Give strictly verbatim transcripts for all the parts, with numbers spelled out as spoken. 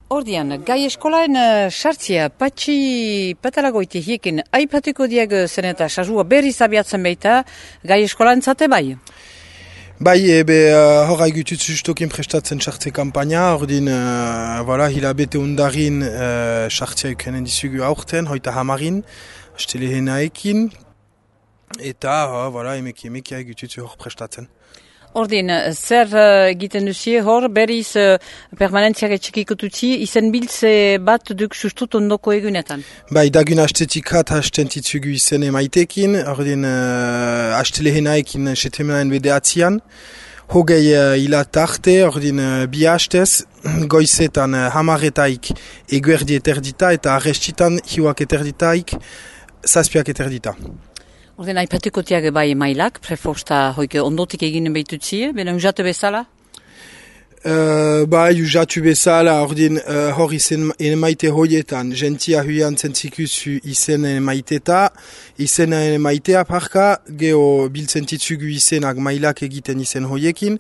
Ordian, gai eskolaen sartzia, patxi patalagoiti hiekin, aipatuko diag zen eta sasua berriz abiatzen baita, gai eskolaen zate bai? Bai, ebe uh, hor haigutut justokin prestatzen sartze kampaina, ordin, uh, voilà, hilabete undarin uh, sartzia ukenen dizugu aurten, hoita hamarin, astelehenaekin, eta, uh, voilà, emeki emeki haigutut hor prestatzen. Ordin, zer egiten uh, duzie hor, berriz uh, permanentziak etxekikotutzi, izen biltze bat duk sustut ondoko egunetan? Bai, dagun astetik hat hasten titzugu izen emaitekin, ordin uh, astelehenaekin setemenaen bedeatzian, hogei uh, hilat arte, ordin uh, bi hastez, goizetan uh, hamaretaik eguerdi eterdita, eta arrestitan hiuak eterditaik, zazpiak eterdita. Orden, aipatukotiak bai mailak, prefosta hoike ondotik eginen behitutzie, bena usatu bezala? Uh, bai, usatu bezala, ordin uh, hor izen emaite hoietan, gentia huian zentzikuzu izen emaiteta, izen emaitea parka, geho biltzen titzugu izenak mailak egiten izen hoiekin,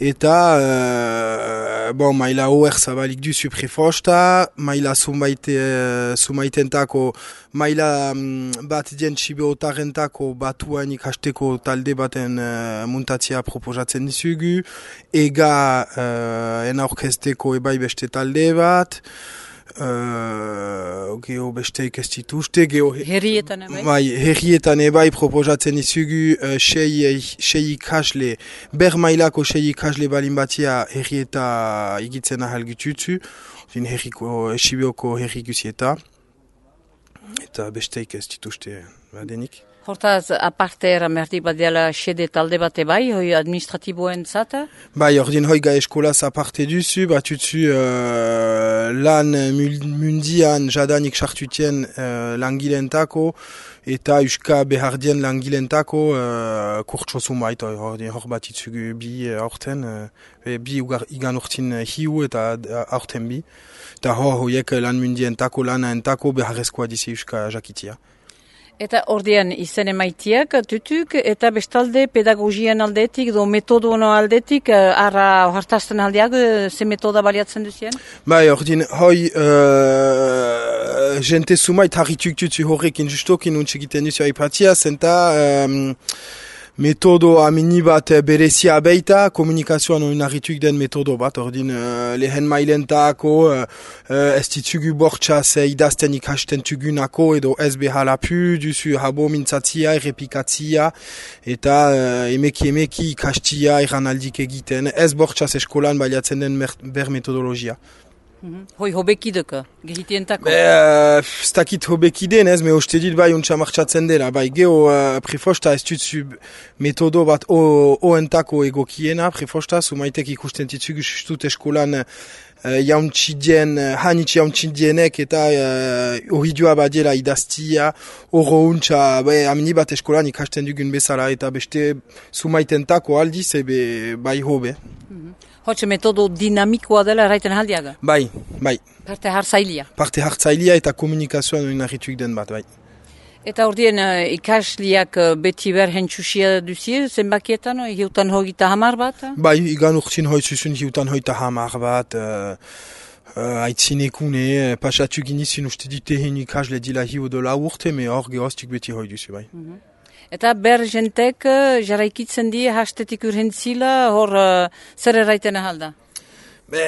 eta uh, bon, maila hoer zabalik duzu prefosta, maila zumaite, uh, zumaitentako, maila um, bat dien txibeotarentako batuan ikasteko talde baten uh, muntatzea proposatzen dizugu, ega uh, en orkesteko ebai beste talde bat, uh, geho beste ikestituste, geho herrietan ebai? Bai, herrietan ebai proposatzen dizugu uh, sei, sei ikasle, ber mailako sei ikasle balin batia herrieta igitzen ahal gututzu, herriko, esibeoko herri guzieta. Eta besteik ez dituzte badenik. Hortaz, aparte eramertik bat dela xede talde bate bai, hoi administratiboen zata? Bai, ordin hoi gai eskolaz aparte duzu, batutzu uh, lan mundian jadanik sartutien uh, langilentako, eta uska behardien langilentako uh, kurtso zumait, ordin hor bat itzugu bi aurten, uh, bi ugar, igan urtin hiu eta aurten bi. Eta hor hoiek lan mundientako, lanaentako beharrezkoa dizi uska jakitia. Eta ordean izen emaitiak tutuk eta bestalde pedagogian aldetik, do metodono aldetik, arra hartazten aldeak, ze metoda baliatzen duzien? Bai, ordin, hoi, uh, jente sumait harrituk tutsu horrekin justokin untxegiten duzu aipatia, zenta um, metodo amini bat berezia beita, komunikazioan oinarrituk den metodo bat, ordin uh, lehen mailentako, uh, uh, ez ditugu bortxaz idazten ikasten tugunako, edo ez behalapu, duzu habo mintzatzia, errepikatzia, eta uh, emeki emeki ikastia erranaldik egiten, ez bortxaz eskolan baliatzen den ber metodologia. Mm-hmm. Hoi hobekideko, gehitientako? Be, uh, ez dakit hobekiden ez, me hoste dit bai untsa martxatzen dela. Bai, geho uh, prefosta ez dutzu metodo bat oentako egokiena, prefosta, sumaitek ikusten ditzugu justut eskolan uh, jauntxidien, uh, hanitx jauntxidienek eta uh, horridua badiela idaztia, horro untsa, bai, amini bat eskolan ikasten dugun bezala, eta beste sumaitentako aldiz, ebe bai hobe. Mm-hmm. Hotxe metodo dinamikoa dela erraiten aldiaga? Bai, bai. Parte hartzailia? Parte hartzailia eta komunikazioan oinarrituik den bat, bai. Eta ordien uh, ikasliak uh, beti ber hentsusia duzie, zenbakietan, uh, hiutan hogeita hamar bat? Bai, igan urtzin hoitzuzun hiutan hogeita hamar bat, uh, uh, aitzinekune, uh, pasatu ginizun uste dute hen ikasle dila hiu dola urte, me hor gehoztik beti hoi duzu, bai. Mm-hmm. Eta ber jentek jarraikitzen die hastetik urhentzila, hor uh, zer erraiten ahalda? Be,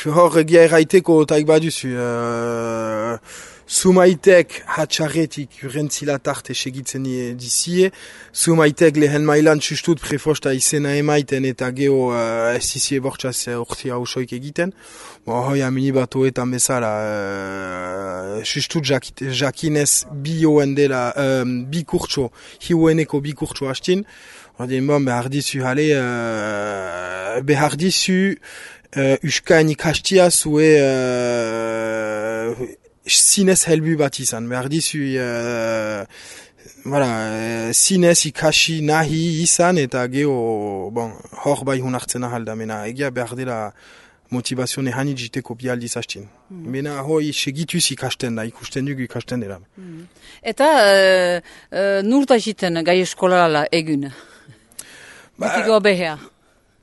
hor egia erraiteko taik baduzu. Uh, sumaitek hatxarretik urhentzila tarte segitzen dizie. Sumaitek lehen mailan sustut prefosta izena emaiten eta geho uh, ez dizie bortxaz urtia usoik egiten. Bo, hoi amini bat hoetan bezala, uh, sustut jakinez bi hoen dela, um, bi kurtso, hiueneko bi kurtso hastin. Ordin, bon, behar dizu hale, uh, behar dizu uh, uskain ikastia zue uh, zinez helbu bat izan. Behar dizu uh, voilà, uh, zinez ikasi nahi izan eta geho, bon, hor bai hunartzen ahalda, mena egia behar dela motivazione hanit jiteko bialdiz hastin. Mm. Mena hoi segituz ikasten da, ikusten dugu ikasten dela. Mm. Eta uh, uh, nur da jiten gai eskolala egun? Ba, Bitigo behea?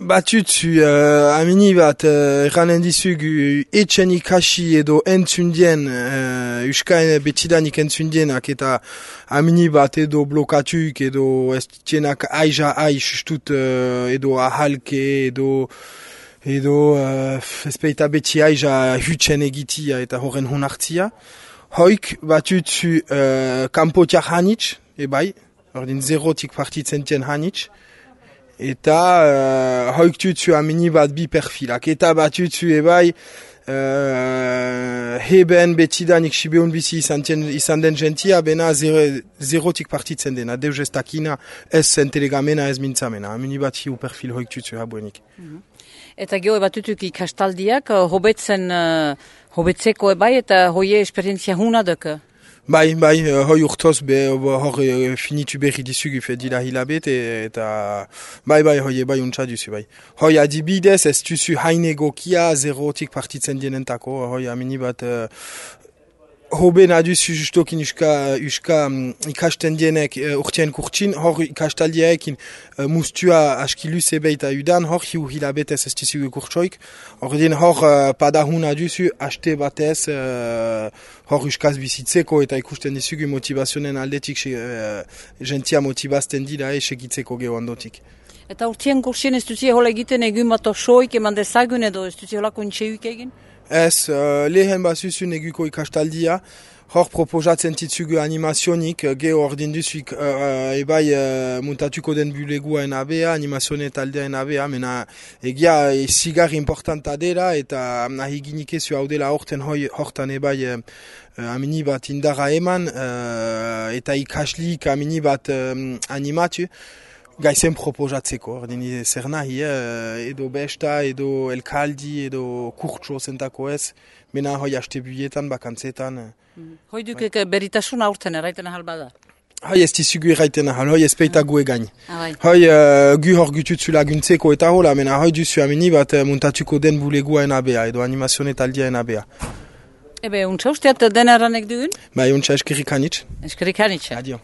Batutzu, uh, amini bat, uh, eranen dizugu, etxen ikasi edo entzundien, uh, uska betidanik entzundienak, eta amini bat edo blokatuk, edo ez tienak aiza aiz, ustut, uh, edo ahalke, edo, edo, uh, ezpeita beti aiza hutzen egitia eta horren honartzia. Hoik, batutzu, uh, kampotiak hanitz, ebai, ordin zerotik partitzen tien hanitz, eta uh, hoik tutzu amini bat bi perfilak. Eta bat tutzu ebai uh, heben betidanik sibeun bizi izan, tien, izan den gentia, bena zero, zerotik partitzen dena. Deus ez dakina, ez zentelegamena, ez mintzamena. Amini bat hiu perfil hoik tutzu habuenik. Mm-hmm. Eta geho bat tutuk ikastaldiak, hobetzen, uh, hobetzeko ebai, eta hoie esperientzia huna duk? Bai, bai, hoi urtoz, be, hor finitu berri dizugu fedila hilabete, eta bai, bai, hoi bai untsa duzu, bai. Hoi adibidez, ez duzu hainegokia zerotik partitzen dienentako, hoi amini bat, uh, hoben aduzu justokin uska, uska um, ikasten dienek uh, urtien kurtsin, hor ikastaldiaekin uh, mustua askiluz ebeita udan, hor hiu hilabetez ez duzu kurtsoik, hor din hor uh, padahun aduzu, haste batez, uh, hor uskaz bizitzeko eta ikusten dizugu motivazionen aldetik uh, gentia motivazten dira e segitzeko geho handotik. Eta urtien kurtsin ez duzu hola egiten egun bat osoik eman dezagun edo ez duzu holako intxeuk egin? Ez, uh, lehen bazuzun eguko ikastaldia, hor proposatzen titzugu animazionik, geho ordin duzuik uh, uh, ebai uh, muntatuko den bulegua en abea, animazione taldea en abea, mena egia e, zigar importanta dela, eta nahi ginikezu hau dela horten hoi, hortan ebai uh, amini bat indara eman, uh, eta ikaslik amini bat um, animatu, gaizen proposatzeko, ordin zer nahi, eh, edo besta, edo elkaldi, edo kurtso zentako ez, mena hoi haste buietan, bakantzetan. Mm. Hoi duk bai. Beritasun aurten erraiten ahal bada? Hoi ez dizugu erraiten ahal, hoi ez peita gu egain. Ah, bai. Hoi uh, gu hor gututzu laguntzeko eta hola, mena hoi duzu amini bat uh, muntatuko den bulegua en abea, edo animazione taldia en abea. Ebe, untsa usteat den eranek dugun? Bai, untsa eskerrik hanitz. Eskerrik hanitz. Adio.